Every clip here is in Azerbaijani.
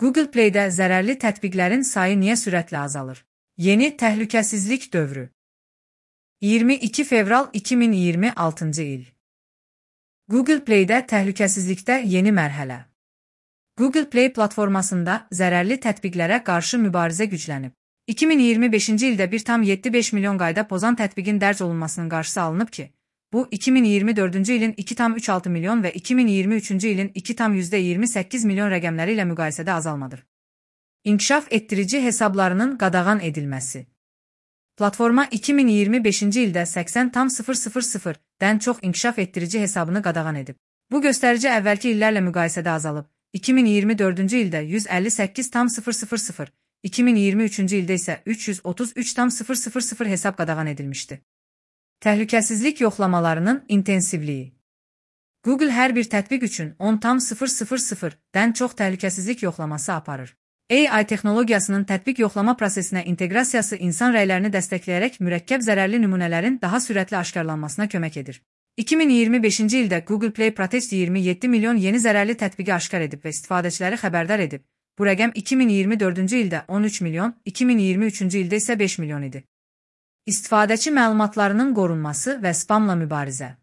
Google Play-də zərərli tətbiqlərin sayı niyə sürətlə azalır? Yeni təhlükəsizlik dövrü. 22 fevral 2026-cı il. Google Play-də təhlükəsizlikdə yeni mərhələ. Google Play platformasında zərərli tətbiqlərə qarşı mübarizə güclənib. 2025-ci ildə 1,75 milyon qayda pozan tətbiqin dərc olunmasının qarşısı alınıb ki, bu 2024-cü ilin 2,36 milyon və 2023-cü ilin 2,28 milyon rəqəmləri ilə müqayisədə azalmadır. İnkişaf etdirici hesablarının qadağan edilməsi. Platforma 2025-ci ildə 80,000-dən çox inkişaf etdirici hesabını qadağan edib. Bu göstərici əvvəlki illərlə müqayisədə azalıb. 2024-cü ildə 158,000, 2023-cü ildə isə 333,000 hesab qadağan edilmişdi. Təhlükəsizlik yoxlamalarının intensivliyi. Google hər bir tətbiq üçün 10,000-dən çox təhlükəsizlik yoxlaması aparır. AI texnologiyasının tətbiq yoxlama prosesinə inteqrasiyası insan rəylərini dəstəkləyərək mürəkkəb zərərli nümunələrin daha sürətli aşkarlanmasına kömək edir. 2025-ci ildə Google Play Protect 27 milyon yeni zərərli tətbiqi aşkar edib və istifadəçiləri xəbərdar edib. Bu rəqəm 2024-cü ildə 13 milyon, 2023-cü ildə isə 5 milyon idi. İstifadəçi məlumatlarının qorunması və spamla mübarizə.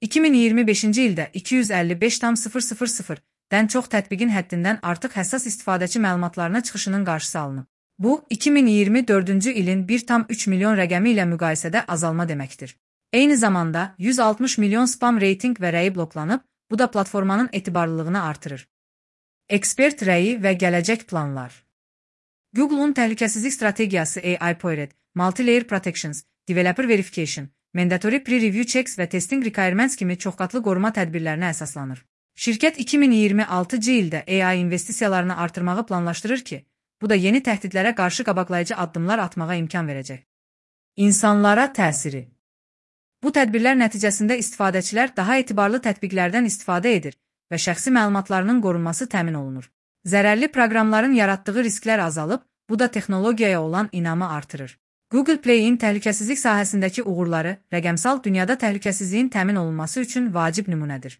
2025-ci ildə 255,000-dən çox tətbiqin həddindən artıq həssas istifadəçi məlumatlarına çıxışının qarşısı alınıb. Bu, 2024-cü ilin 1,3 milyon rəqəmi ilə müqayisədə azalma deməkdir. Eyni zamanda 160 milyon spam reytinq və rəyi bloklanıb, bu da platformanın etibarlılığını artırır. Ekspert rəyi və gələcək planlar. Google'un təhlükəsizlik strategiyası AI-Powered, Multi-Layer Protections, Developer Verification, Mandatory Pre-Review Checks və Testing Requirements kimi çoxqatlı qoruma tədbirlərinə əsaslanır. Şirkət 2026-cı ildə AI investisiyalarını artırmağı planlaşdırır ki, bu da yeni təhdidlərə qarşı qabaqlayıcı addımlar atmağa imkan verəcək. İnsanlara təsiri. Bu tədbirlər nəticəsində istifadəçilər daha etibarlı tətbiqlərdən istifadə edir və şəxsi məlumatlarının qorunması təmin olunur. Zərərli proqramların yaratdığı risklər azalıb, bu da texnologiyaya olan inamı artırır. Google Play-in təhlükəsizlik sahəsindəki uğurları rəqəmsal dünyada təhlükəsizliyin təmin olunması üçün vacib nümunədir.